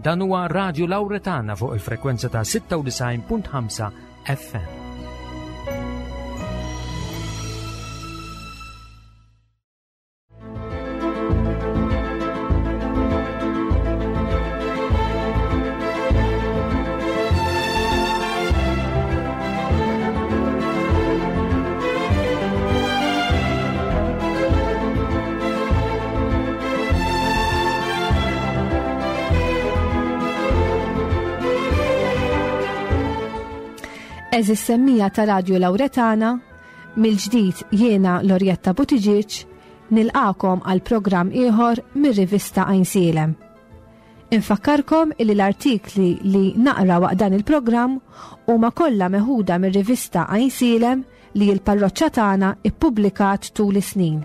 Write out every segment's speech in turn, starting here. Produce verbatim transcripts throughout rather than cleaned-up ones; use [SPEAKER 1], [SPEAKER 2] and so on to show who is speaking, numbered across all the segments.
[SPEAKER 1] Dan huwa Radio Lauretana fuq il-frekwenza ta' sitta u disgħin punt ħamsa F M.
[SPEAKER 2] Għeżież semmiegħa ta' Radio Lauretana, mill-ġdid jiena Lorjetta Buttigieg nilqagħkom għal programm ieħor mir-rivista Għajnsielem. Infakkarkom illi l-artikli li naqra waqt dan il-programm huma kollha meħuda mir-rivista Għajnsielem li l-parroċċa tagħna ippubblikat tul is-snin.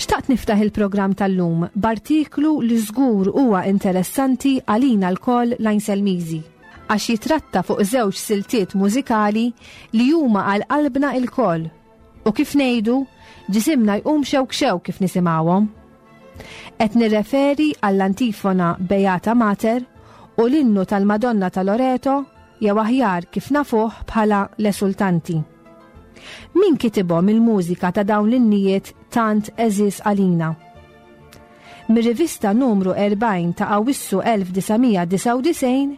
[SPEAKER 2] Xtaqt niftaħ il-programm tal-lum b'artiklu li żgur huwa interessanti għalina lkoll l-Għajnselmiżi, għax jitratta fuq żewġ siltiet mużikali li huma għal qalbna lkoll u, kif ngħidu, ġisimna jqum xewk xewk kif nisimgħuhom. Qed nirreferi għall-antifona Beata Mater u l-innu tal-Madonna ta' Loreto, jew aħjar kif nafuh bħala l-Esultanti. Min kitibhom il-mużika ta' dawn l-innijiet tant għeżież għalina? Mir-rivista numru erbgħin ta' Awissu elf disa' mija disgħa u disgħin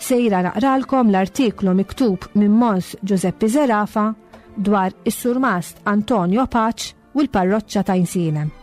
[SPEAKER 2] sejra naqralkom l-artiklu miktub minn Mons Giuseppe Zerafa dwar is-surmast Antonio Pace u l-parroċċa ta' Għajnsielem.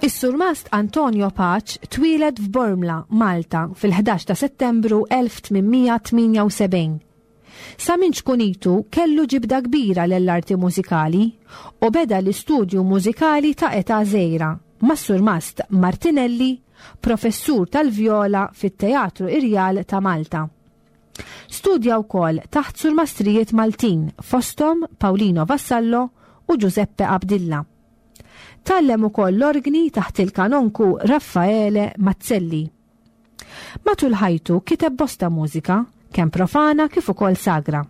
[SPEAKER 2] Is-surmast Antonio Pace twieled f'Bormla, Malta, fil-ħdax ta' Settembru elf tmien mija tmienja u sebgħin. Sa minn ċkunitu kellu ġibda kbira l-arti mużikali u beda l-istudju mużikali ta' età żgħira mas-surmast Martinelli, professur tal-vjola fit-Teatru Irjal ta' Malta. Studja wkoll taħt surmastrijiet Maltin, fosthom Paulino Vassallo u Giuseppe Abdilla. Tgħallem ukoll l-orgni taħt il-kanonku Raffaele Mazzelli. Matul ħajtu kiteb bosta mużika, kemm profana kif ukoll sagra.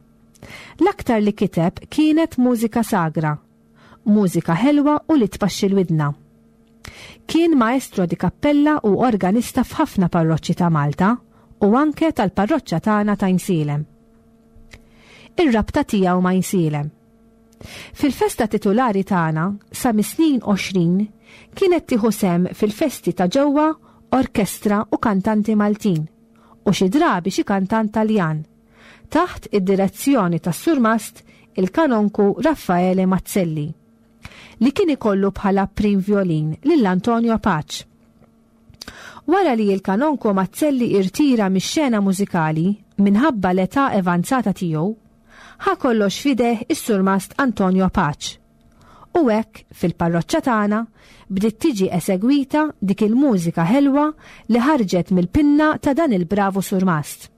[SPEAKER 2] L-aktar li kiteb kienet mużika sagra, mużika ħelwa u li tpaxxi l-widna. Kien maestro di cappella u organista f'ħafna parroċċi ta' Malta u anke tal-parroċċa tagħna ta' Għajnsielem. Ir-rabta tiegħu ma' Għajnsielem. Fil-festa titulari tagħna sa mis-snin għoxrin kienet tieħu sehem fil-festi ta' ġewwa orkestra u kantanti Maltin u xi drabi xi kantant Taljan taħt id-direzzjoni tas-surmast il-kanonku Raffaele Mazzelli, li kien ikollu bħala prim violin lil Antonio Pace. Wara li il-kanonku Mazzelli irtira mix-xena mużikali minħabba l-età avanzata tiegħu, ħa kollox f'idejh is-surmast Antonio Pace. U hekk fil-parroċċa tagħna bdiet tiġi esegwita dik il-mużika ħelwa li ħarġet mill-pinna ta' dan il-bravu surmast.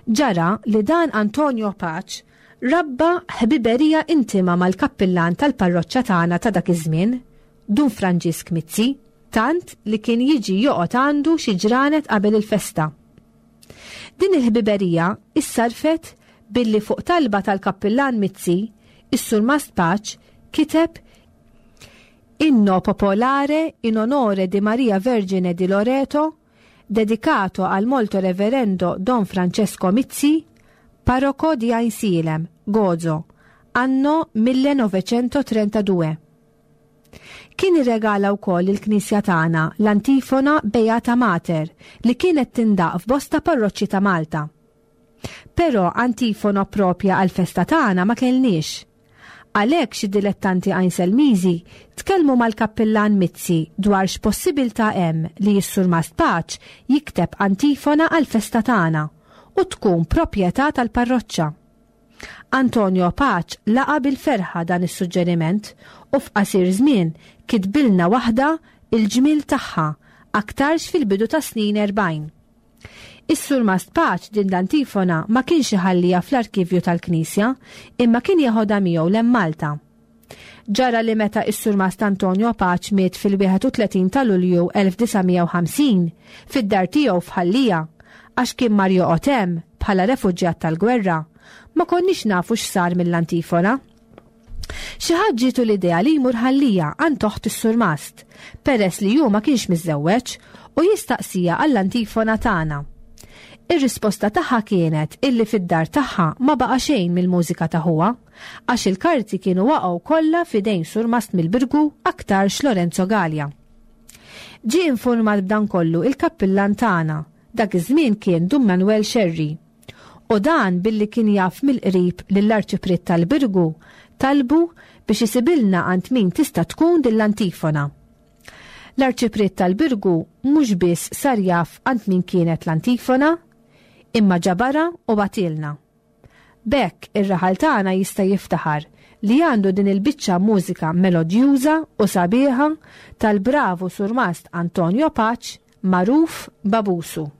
[SPEAKER 2] Ġara li dan Antonio Pace rabba ħbiberija intima mal-kappillan tal-parroċċa tagħna ta' dak iż-żmien, Dun Franġisk Mizzi, tant li kien jiġi joqgħod għandu xi ġranet qabel il-festa. Din il-ħbiberija issarfet billi fuq talba tal-kappillan Mizzi, is-surmast Pace kiteb Inno popolare in onore di Maria Vergine di Loreto, dedicato al molto reverendo Don Francesco Mizzi, parroco di Għajnsielem, Gozo, anno millenoveċentotrentadue. Kien irregala wkoll il-Knisja tagħna l-antifona Beata Mater li kienet tindaq f'bosta parroċċi ta' Malta. Però antifona propja għal-festa tagħna ma kellniex. Għalhekk xi dilettanti Għajnselmiżi tkellmu mal-kappillan Mizzi dwar x'possibilità hemm li s-surmast Pace jikteb antifona għal-festa tagħna u tkun proprjetà tal-parroċċa. Antonio Pace laqa bil-ferħa dan is-suġġeriment u f'qasir żmien kitbilna waħda il-ġmil tagħha, aktarx fil-bidu ta' snin erbgħin. Is-Surmast Paċ din l-antifona ma kienx iħallija fl-arkivju tal-Knisja, imma kien jeħodha miegħu lem Malta. Ġara li meta is-Surmast Antonio Paċ miet fil-wieħed u tletin ta' Lulju elf disa' mija u ħamsin fid-dar tiegħu f'Ħal Lija, għax kien mar joqgħod hemm bħala refuġjat tal-gwerra, ma konniex nafu x'sar mill-antifona. Xi ħadd ġietu l-idea li jmur Ħal Lija għand oħt is-Surmast, peress li hu ma kienx miżżewweġ, u jistaqsija għall-antifona tagħna. Ir-risposta tagħha kienet illi fid-dar tagħha ma baqa' xejn mill-mużika ta' ħuha, għax il-karti kienu waqgħu kollha f'idejn Surmast mill-Birgu aktarx Lorenzo Galea. Ġie informat b'dan kollu il-kappillan tagħna, dak iż-żmien kien Dun Manuel Scerri. U dan billi kien jaf mill-qrib lill-Arċipriet tal-Birgu, talbu biex isibilna għand min tista' tkun din l-antifona. L-Arċipriet tal-Birgu mhux biss sar jaf għand min kienet l-antifona, imma ġabara u batilna. B'hekk ir-raħal tagħna jista' jiftaħar li għandu din il-biċċa mużika melodjuża u sabiħa tal-bravu Surmast Antonio Paċ, magħruf Babusu.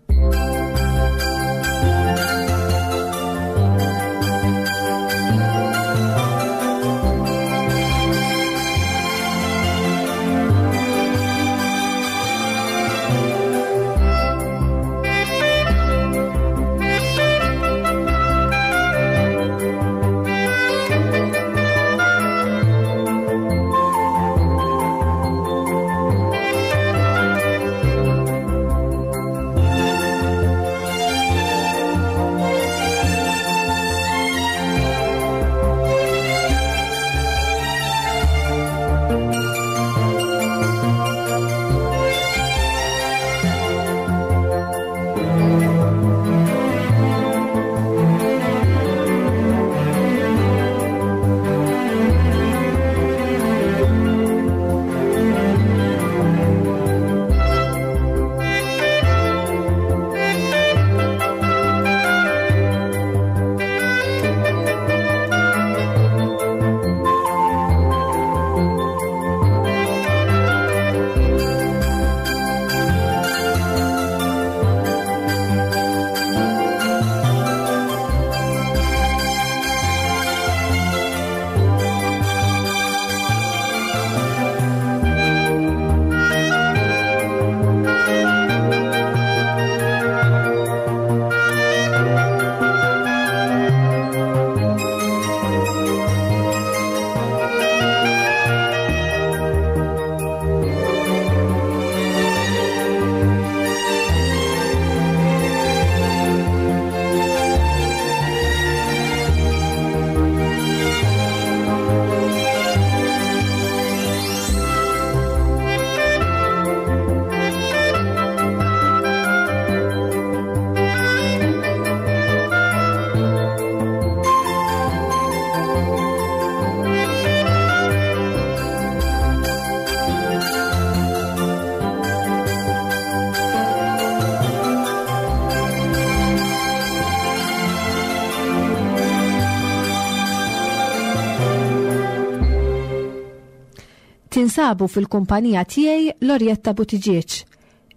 [SPEAKER 2] Tinsabu fil-kumpanija tiegħi Lorjetta Buttigieg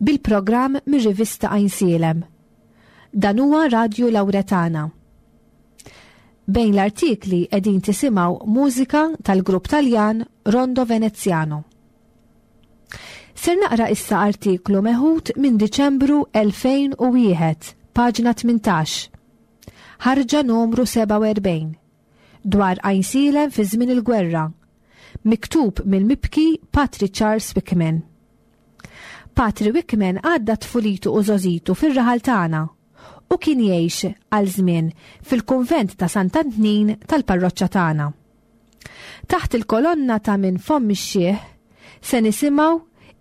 [SPEAKER 2] bil-programm mir-rivista Għajnsielem. Dan huwa Radju Lawretana. Bejn l-artikli qegħdin tisimgħu mużika tal-grupp Taljan Rondo Veneziano. Ser naqra issa artiklu meħud minn Diċembru elfejn u wieħed, paġna tmintax, ħarġa numru sebgħa u erbgħin, dwar Għajnsielem fi żmien il-gwerra, miktub mill-mibki Patri Charles Wickman. Patri Wickman għadda tfulitu u żożitu fir-raħal tagħna u kien jgħix għal żmien fil-kunvent ta' Sant'Antnin tal-parroċċa tagħna. Taħt il-kolonna ta' minn fomm ix-xiħ se nisimgħu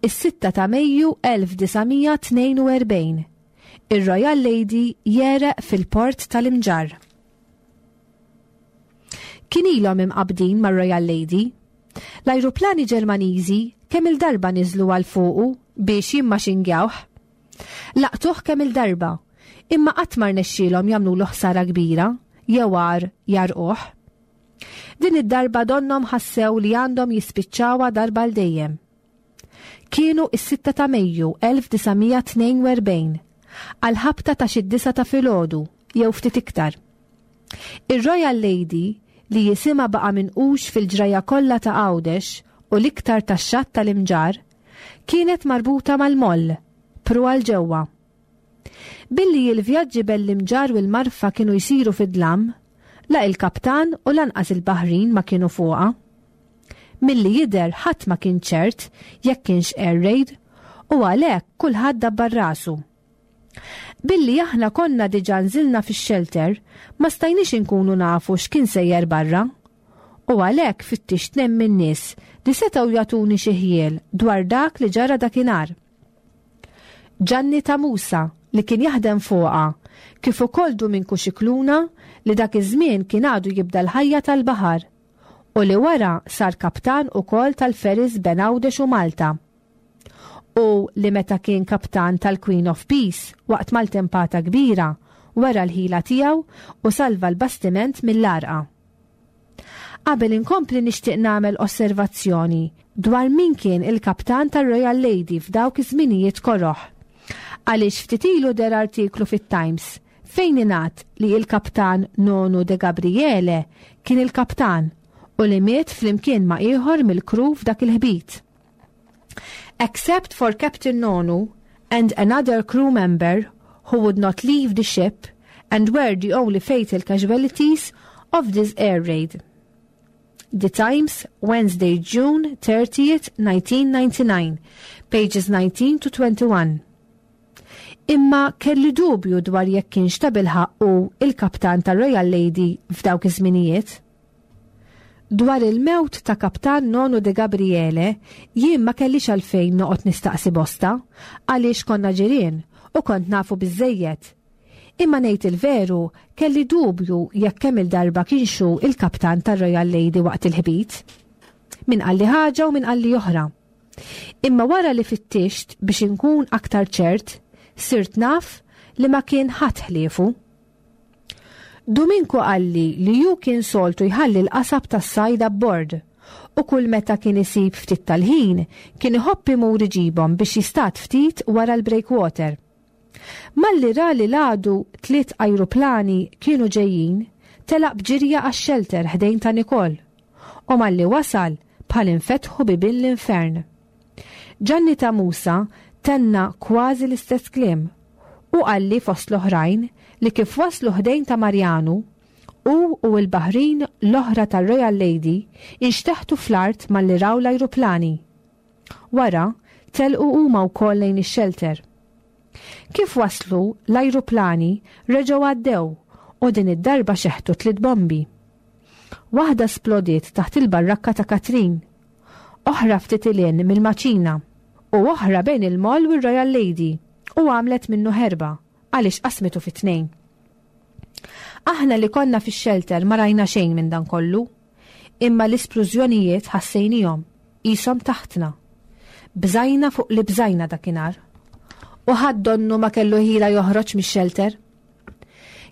[SPEAKER 2] is-sitta ta' Mejju elf disa' mija tnejn u erbgħin, ir-Royal Lady jereq fil-port tal-Imġarr. Kien ilhom imqabdin mar-Royal Lady. L-ajruplani Ġermaniżi kemm il-darba niżlu għal fuqu biex jimmaxingjawh. Laqtuh kemm il-darba, imma qatt ma rnexxielhom jagħmlulu ħsara kbira jew għar jarquh. Din id-darba donnhom ħassew li għandhom jispiċċawha darba l dejjem. Kienu is-sitta ta' Mejju elf disa' mija tnejn u erbgħin, Għal ħabta ta' xi disgħa ta' filgħodu jew ftit iktar. Ir-Royal Lady, li jisimha baqa' minqux fil-ġrajja kollha ta' Għawdex u l-iktar tax-xatt tal-Imġarr, kienet marbuta mal-moll, pruwa 'l ġewwa. Billi l-vjaġġi bejn l-Imġarr u l-Marfa kienu jsiru fid-dlam, la il-kaptan u lanqas il-baħrin ma kienu fuqha. Milli jidher ħadd ma kien ċert jekk kienx air raid u għalhekk kulħadd dabbar rasu. Billi aħna konna diġà nżilna fix-shelter, ma stajniex inkunu nafu x'kien sejjer barra. U għalhekk fittixt tnejn min-nies li setgħu jagħtuni xi ħjiel dwar dak li ġara dakinhar. Ġanni ta' Musa, li kien jaħdem fuqha, kif ukoll Duminku Xikluna, li dak iż-żmien kien għadu jibda l-ħajja tal-baħar u li wara sar kaptan ukoll tal-ferries bejn Għawdex u Malta. U li meta kien kaptan tal-Queen of Peace waqt maltempata kbira wera l-ħila tiegħu u salva l-bastiment mill-għarqa. Qabel inkompli nixtieq nagħmel osservazzjoni dwar min kien il-kaptan tar-Royal Lady f'dawk iż-żminijiet koroħ. Għaliex ftit ilu deher artiklu fit-Times fejn ingħad li il-kaptan Nonu de Gabriele kien il-kaptan u li miet flimkien ma' ieħor mill-crew f'dak il-ħbit. Except for Captain Nonu and another crew member who would not leave the ship and were the only fatal casualties of this air raid. The Times, Wednesday, June thirtieth, nineteen ninety-nine, pages nineteen to twenty-one. Imma kelli dubju dwar jekk kienx ta' bilħaqq hu il-kaptan ta' Royal Lady f'dawk iż-żminijiet. Dwar il-mewt ta' kaptan Nonu de Gabriele, jien ma kellix għalfejn noqgħod nistaqsi bosta, għaliex konna ġirien u kont nafu biżejjed. Imma ngħid il-veru, kelli dubju jekk kemm il-darba kienx hu il-kaptan tar Royal Lady waqt il-ħbit. Min qalli ħaġa u min qalli oħra. Imma wara li fittixt biex inkun aktar ċert, sirt naf li ma kien ħadd ħliefu. Duminku qalli li hu kien soltu jħalli l-qasab tas-sajd abbord u kull meta kien isib ftit tal-ħin kien iħobb imur iġibhom biex jistad ftit wara l-breakwater. Malli ra li l-għadu tliet ajruplani kienu ġejjin, telaq b'ġirja għax-shelter ħdejn ta' Nikol. U malli wasal, bħal infetħu bibien l-infern. Ġanni ta' Musa tenna kważi l-istess kliem u qalli fost l-oħrajn li kif waslu ħdejn ta' Marjanu, u u l-baħrin l-oħra tal-Royal Lady inxteħtu fl-art malli raw l-ajruplani. Wara, telqu huma wkoll lejn ix-shelter. Kif waslu, l-ajruplani reġgħu għaddew u din id-darba xeħtu tliet bombi. Waħda splodiet taħt il-barrakka ta' Katrin, oħra ftit 'il hinn mill-maċina u oħra bejn il-moll u r-Royal Lady u għamlet minnu ħerba għaliex qasmitu fi tnejn. Aħna li konna fix-shelter ma rajna xejn minn dan kollu, imma l-isplużjonijiet ħassejnihom qishom taħtna. Bżajna fuq li bżajna dakinhar. U ħadd donnu ma kellu ħila joħroġ mix-shelter.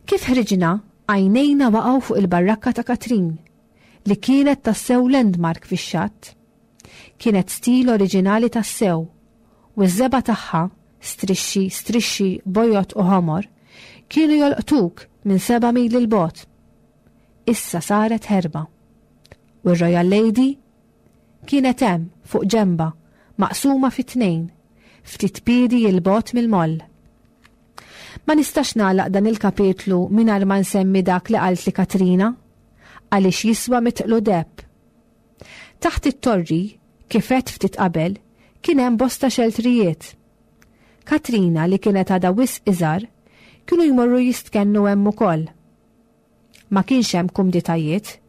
[SPEAKER 2] Kif ħriġna, għajnejna waqgħu fuq il-barrakka ta' Katrin, li kienet tassew landmark fix-xatt. Kienet stil oriġinali tassew, u ż-żebgħa tagħha, strixxi, strixxi, bojod u ħomor, kienu jolqtuk minn seba' mili 'l bogħod. Issa saret ħerba. U r-Royal Lady kienet hemm fuq ġenba, maqsuma fi tnejn, ftit piedi 'l bogħod mill-moll. Ma nistax nagħlaq dan il-kapitlu mingħajr ma nsemmi dak li qaltli Katrina, għaliex jiswa mitqlu deheb. Taħt it-torri, kif għedt ftit qabel, kien hemm bosta xeltrijiet. Katrina, li kienet għadha wisq iżgħar, kienu jmorru jistkennu hemm ukoll. Ma kienx hemm kumditajiet.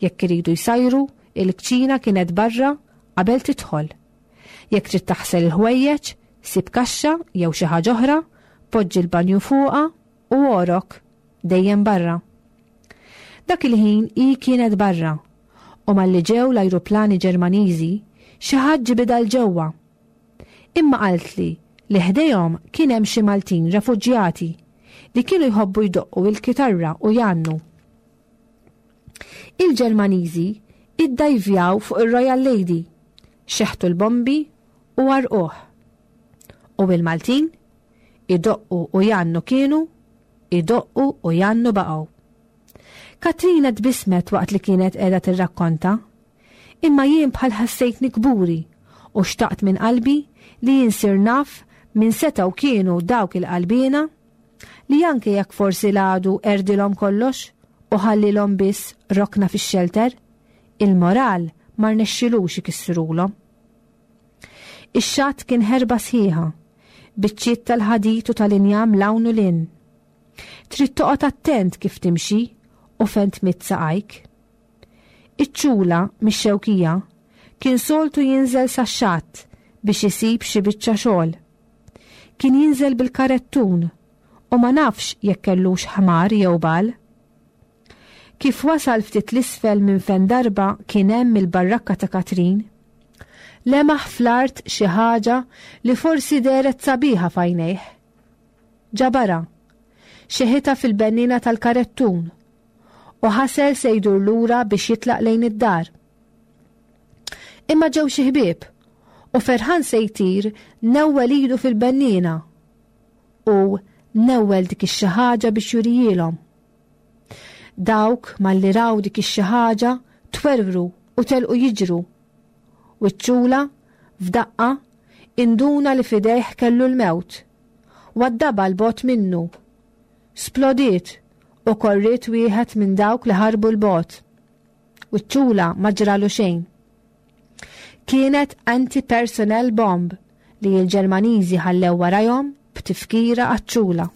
[SPEAKER 2] Jekk iridu jsajru, il-kċina kienet barra qabel tidħol. Jekk trid taħsel il-ħwejjeġ, sib kaxxa jew xi ħaġa oħra, poġġi l-banju fuqha u orok dejjem barra. Dak il-ħin hi kienet barra u malli ġew l-ajruplani Ġermaniżi, xi ħadd ġibidha 'l ġewwa. Imma qaltli li ħdejhom kien hemm xi Maltin refuġjati li kienu jħobbu jdoqqu il-kitarra u jgħannu. Il-Ġermaniżi iddajvjaw fuq ir-Royal Lady, xeħtu l-bombi u għarquh. U il-Maltin Idoqqu u jgħannu kienu, idoqqu u jgħannu baqgħu. Katrina tbissmet waqt li kienet qiegħda tirrakkonta, imma jien bħal ħassejtni kburi u xtaqt minn qalbi li jinsir naf minn setgħu kienu dawk il-qalbina li anke jekk forsi l-għadu erdilhom kollox u ħallilhom biss rokna fix-xelter, il-moral ma rnexxilux ikissrulhom. Ix-xatt kien ħerba sħiħa, biċċiet tal-ħadid u tal-injam 'l hawn u 'l hinn. Trid toqgħod attent kif timxi u fejn tmidd saqajk. Iċ-Ċula mix-Xewkija kien soltu jinżel sax-xatt biex isib xi biċċa xogħol. Kien jinżel bil-karettun u ma nafx jekk kellux ħmar jew bal. Kif wasal ftit l-isfel minn fejn darba kien hemm il-barrakka ta' Katrin, lemaħ fl-art xi ħaġa li forsi dehret sabiħa f'għajnejh. Ġabarha, xeħitha fil-bennina tal-karettun u ħasel se jdur lura biex jitlaq lejn id-dar. Imma ġew xi ħbieb u ferħan se jtir newwel idu fil-bennina u newwel dik ix-xi ħaġa biex jurijielhom. Dawk malli raw dik ix-xi ħaġa twerwru u telqu jiġru. U ċ-Ċula f'daqqa induna li f'idejh kellu l-mewt. Waddabha 'l bogħod minnu. Splodiet u korriet wieħed minn dawk li ħarbu 'l bogħod. U ċ-Ċula ma ġralu xejn. Kienet anti-personnel bomb li l-Ġermaniżi ħallew warajhom b'tifkira għaċ-Ċula.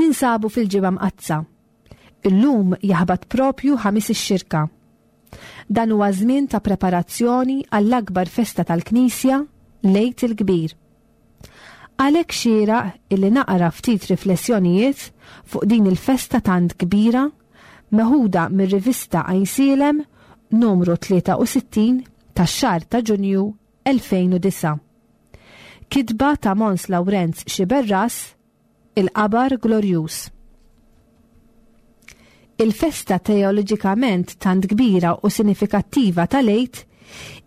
[SPEAKER 2] Ninsabu fil-Ġimgħa Mqaddsa. Illum jaħbat propju ħamis ix-xirka. Dan huwa żmien ta' preparazzjoni għall-akbar festa tal-Knisja, l-Għid il-Kbir. Għalhekk xieraq illi naqra ftit riflessjonijiet fuq din il-festa tant kbira meħuda mir-rivista Għajnsielem numru tlieta u sittin tax-xahar ta' Ġunju elfejn u disgħa. Kitba ta' Mons Lawrenz Xiberras, Il-Qabar Glorjuż. Il-festa teoloġikament tant kbira u sinifikattiva tal-Għid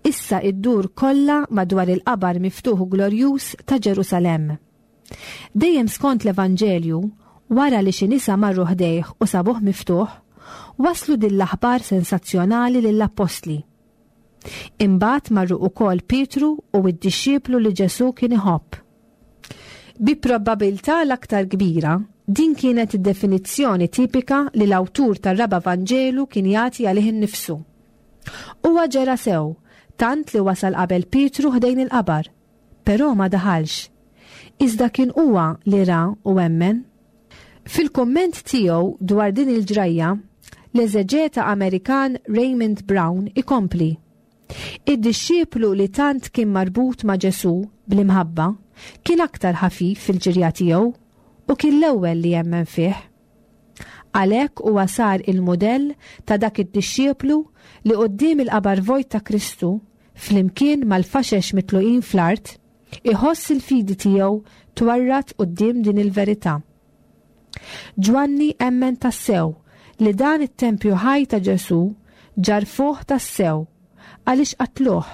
[SPEAKER 2] issa iddur kollha madwar il-qabar miftuħ u glorjuż ta' Ġerusalemm. Dejjem skont l-Evanġelju, wara li xi nisa marru ħdejh u sabuh miftuħ, waslu din l-aħbar sensazzjonali lill-appostli. Imbagħad marru ukoll Pietru u d-dixxiplu li Ġesu kien iħobb. Bi probabilità l-aktar kbira, din kienet id-definizzjoni tipika li l-awtur tar-raba' Vanġelu kien jagħti għalih innifsu. Huwa ġera sew, tant li wasal qabel Pietru ħdejn il-qabar, però ma daħalx. Iżda kien huwa li ra u emmen. Fil-komment tiegħu dwar din il-ġrajja, l-eżeġeta Amerikan Raymond Brown ikompli: "Id-dixxiplu li tant kien marbut ma' Ġesu bl-imħabba kien aktar ħafif fil-ġirja tiegħu u kien l-ewwel li jemmen fih. Għalhekk huwa sar il-modell ta' dak id-dixxiplu li quddiem il-qabar vojt ta' Kristu, flimkien mal-faxex mitluqin fl-art, iħoss il-fidi tiegħu twarrad quddiem din il-verità. Ġwanni emmen tassew li dan it-tempju ħaj ta' Ġesu ġarfuh tassew għaliex qatluh,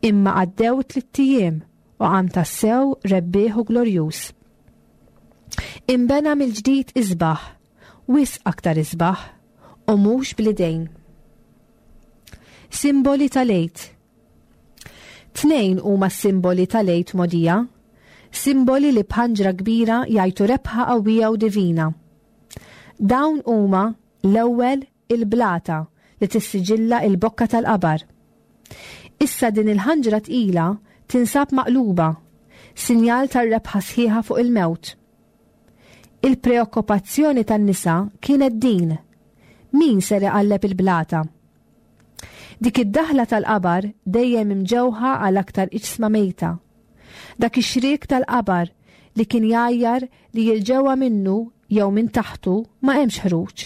[SPEAKER 2] imma għaddew tlitt ijiem u qam tassew rebbieħ u glorjuż. Imbena mill-ġdid isbaħ, wisq aktar isbaħ, u mhux bl-idejn." Simboli tal-Għid. Tnejn huma simboli tal-Għid mogħdija, simboli li b'ħanġra kbira jgħajtu rebħa qawwija u divina. Dawn huma, l-ewwel, il-blata li tissiġilla il-bokka tal-qabar. Issa din il-ħanġra tqila tinsab maqluba, sinjal tar-rebħa sħiħa fuq il-mewt. Il-preokkupazzjoni tan-nisa kienet din: min ser iqalleb il-blata? Dik id-daħla tal-qabar dejjem imġewħa għal aktar iġsma mejta. Dak ix-xrik tal-qabar li kien jgħajjar li 'l ġewwa minnu jew minn taħtu ma hemmx ħruġ.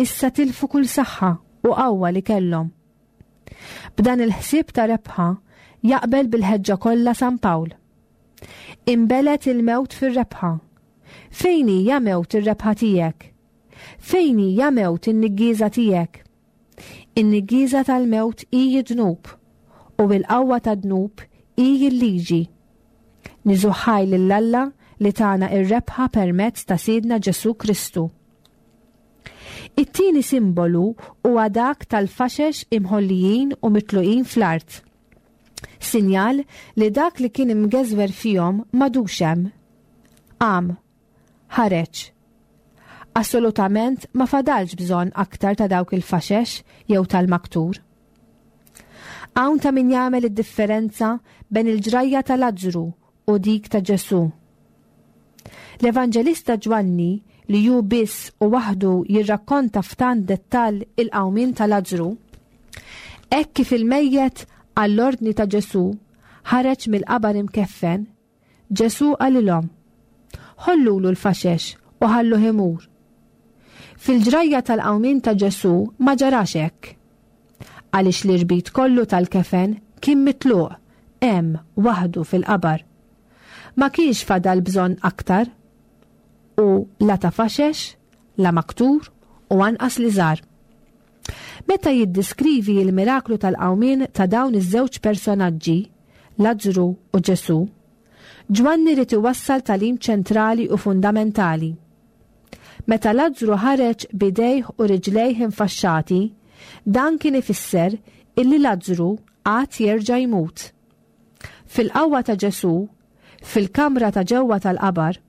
[SPEAKER 2] Issa tilfu kull saħħa u qawwa li kellhom. B'dan il-ħsieb ta' rebħa jaqbel bil-ħeġġa kollha San Pawl: "Inbelgħet il-mewt fir-rebħa. Fejn hija mewt ir-rebħa tiegħek? Fejn hija mewt in-niggieża tiegħek? In-niggieża tal-mewt hi dnub u il-qawwa tad-dnub hi l-liġi. Niżuħħaj lil Alla li tana ir-rebħa permezz ta' Sidna Ġesu Kristu." It-tieni simbolu huwa dak tal-faxex imħollijin u mitluqin fl-art. Sinjal li dak li kien imgeżwer fihom m'għadux hemm. Qam, ħareġ. Assolutament ma fadalx bżonn aktar ta' dawk il-faxex jew tal-maktur. Hawn ta' min jagħmel id-differenza bejn il-ġrajja ta' Lazzru u dik ta' Ġesu. L-Evanġelista Ġwanni, li hu biss u waħdu jirrakkonta f'tant dettall il-qawmien ta' Lazzru, hekk kif il-mejjet għall-ordni ta' Ġesu ħareġ mill-qabar imkeffen, Ġesu qalilhom: "Ħollulu l-faxex u ħalluh imur." Fil-ġrajja tal-qawmien ta' Ġesu ma ġarax hekk. Għaliex l-irbit kollu tal-kefen kien mitluq hemm waħdu fil-qabar. Ma kienx fadal bżonn aktar u la ta' faxex, la maktur u anqas liżar. Meta jiddiskrivi il-miraklu tal-qawmien ta' dawn iż-żewġ personaġġi, Lazzru u Ġesu, Ġwanni ried iwassal tagħlim ċentrali u fundamentali. Meta Lazzru ħareġ b'idejh u riġlejh infaxxati, dan kien ifisser illi Lazzru għad jerġa' jmut. Fil-qawwa ta' Ġesu, fil-kamra ta' ġewwa tal-qabar,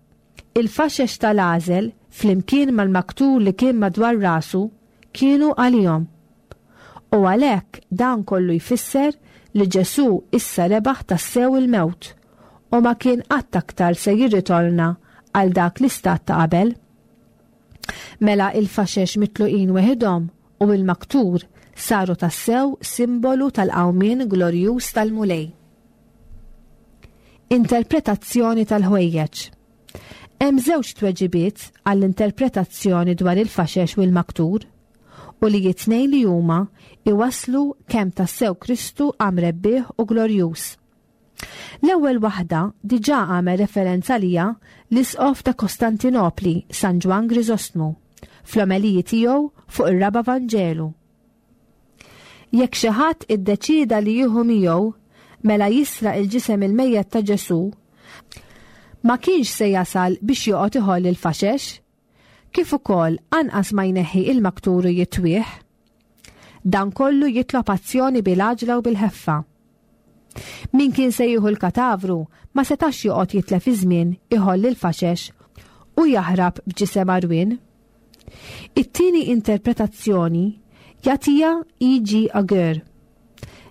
[SPEAKER 2] il-faxex tal-għażel flimkien mal-maktur li kien madwar rasu kienu għalihom. U għalhekk dan kollu jfisser li Ġesu issa rebaħ tassew il-mewt u ma kien qatt aktar se jirritorna għal dak l-istat ta' qabel. Mela il-faxex mitluqin weħidhom u il-maktur saru tassew simbolu tal-qawmien glorjuż tal-Mulej. Interpretazzjoni tal-ħwejjeġ. Hemm żewġ tweġibiet għall-interpretazzjoni dwar il-faxex u l-maktur, u li it-tnejn li huma iwasslu kemm tassew Kristu qam rebbieħ u glorjuż. L-ewwel waħda diġà għamel referenza għaliha l-Isqof ta' Kostantinopli, San Ġwann Griżostmu, fl-omeliji tiegħu fuq ir-Raba' Vanġelu. Jekk xi ħadd iddeċieda li jieħu miegħu mela jisraq il-ġisem il-mejjet ta' Ġesù, ma kienx se jasal biex joqgħod iħoll il-faxex, kif ukoll anqas ma jneħħi il-maktur u jitwieħ. Dan kollu jitlob azzjoni bil-għaġla u bil-ħeffa. Min kien se jieħu l-katavru ma setax joqgħod jitlef iż-żmien iħoll il-faxex u jaħrab b'ġisem għarwien. It-tieni interpretazzjoni jagħtiha E G Ager.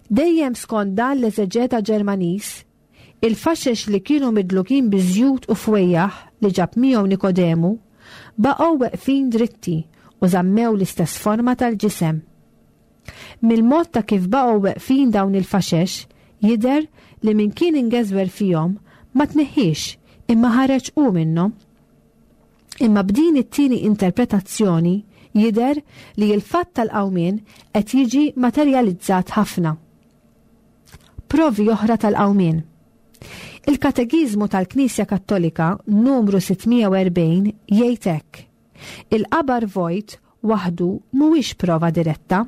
[SPEAKER 2] Dejjem skont dan l-eżeġeta Ġermaniż, il-faxex li kienu midlukin biżjut u fwejjaħ li ġab miegħu Nikodemu baqgħu weqfin dritti u żammew l-istess forma tal-ġisem. Mill-mod ta' kif baqgħu weqfin dawn il-faxex jidher li min kien ingeżwer fihom ma tneħħiex imma ħareġ hu minnhom. Imma b'din it-tieni interpretazzjoni jidher li l-fatt tal-qawmien qed jiġi materjalizzat ħafna. Provi oħra tal-qawmien. Il-Katekiżmu tal-Knisja Kattolika numru sittmija u erbgħin jgħid hekk: il-qabar vojt waħdu mhuwiex prova diretta.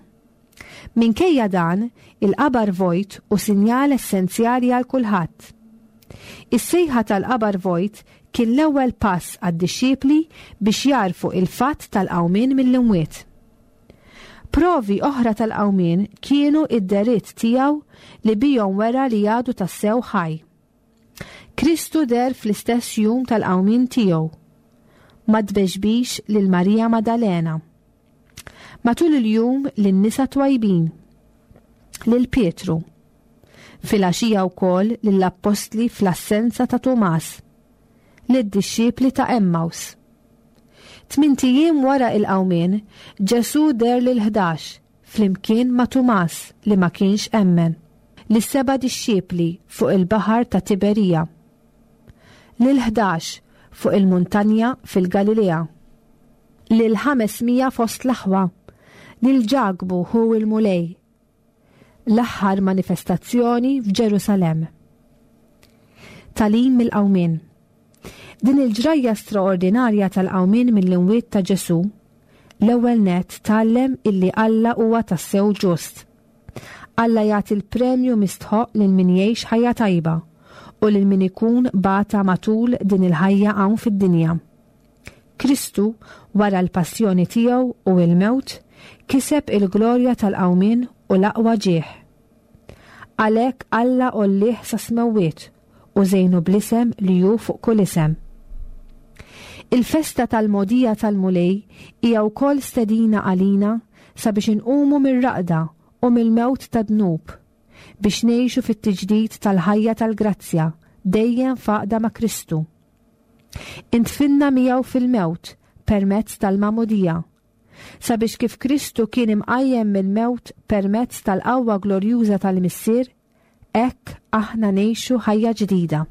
[SPEAKER 2] Minkejja dan, il-qabar vojt hu sinjal essenzjali għal kulħadd. Is-sejħa tal-qabar vojt kien l-ewwel pass għad-dixxipli biex jarfu il-fatt tal-qawmien mill-imwiet. Provi oħra tal-qawmien kienu id-deritt tiegħu li bihom wera li għadu tassew ħaj. Kristu der fl-istess jum tal-qawmien tiegħu. Ma tbeġbix lil Marija Maddalena. Matul il-jum lin-nisa twajbin, lil Pietru, filgħaxija wkoll lill-appostli fl-assenza ta' Tumas, lid-dixxipli ta' Emmaus. Tmint ijiem wara il-qawmien, Ġesù der lil ħdax flimkien ma' Tumas li ma kienx emmen, lis-seba' dixxipli fuq il-baħar ta' Tiberija, lil ħdax fuq il-muntanja fil-Galilea, lil ħames mija fost l-aħwa, lil Ġakbu hu il-Mulej. L-aħħar manifestazzjoni f'Ġerusalemm. Tagħlim mill-qawmien. Din il-ġrajja straordinarja tal-qawmien mill-imwiet ta' Ġesù, l-ewwel nett tgħallem illi Alla huwa tassew ġust. Alla jagħti l-premju mistħoq lil min jgħix ħajja tajba u lil min ikun bata matul din il-ħajja hawn fid-dinja. Kristu, wara l-passjoni tiegħu u l-mewt, kiseb il-glorja tal-qawmien u l-aqwa ġieħ. Għalhekk Alla għollih sa smewwiet u żejnu bl-isem li hu fuq kull isem. Il-festa tal-mogħdija tal-Mulej hija wkoll stedina għalina sabiex inqumu mir-raqda u mill-mewt tad-dnub, biex ngħixu fit-tiġdid tal-ħajja tal-grazzja dejjem f'għaqda ma' Kristu. Intfinna miegħu fil-mewt permezz tal-magħmudija, sabiex kif Kristu kien imqajjem mill-mewt permezz tal-qawwa glorjuża tal-Missier, hekk aħna ngħixu ħajja ġdida.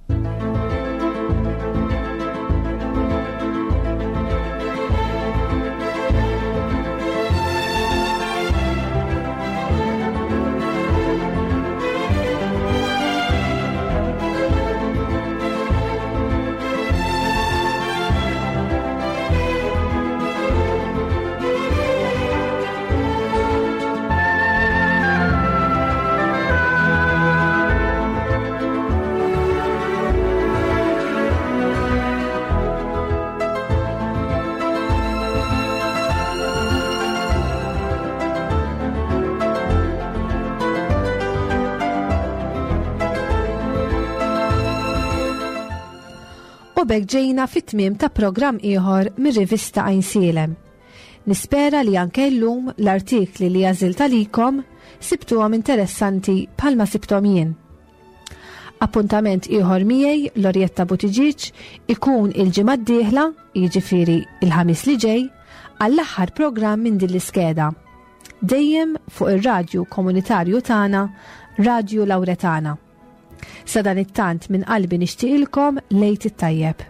[SPEAKER 2] U b'hekk ġejna fit-tmiem ta' programm ieħor mir-rivista Għajnsielem. Nispera li anke llum l-artikli li għażilt għalikom sibtuhom interessanti bħalma sibthom jien. Appuntament ieħor miegħi Lorietta Buttigieg ikun il-ġimgħa d-dieħla, jiġifieri il-ħamis li ġej, għall-aħħar programm minn din l-iskeda. Dejjem fuq ir-radju komunitarju tagħna, Radju Lawretana. Sadanittant minn qalbi nixtieqilkom l-Għid it-tajjeb.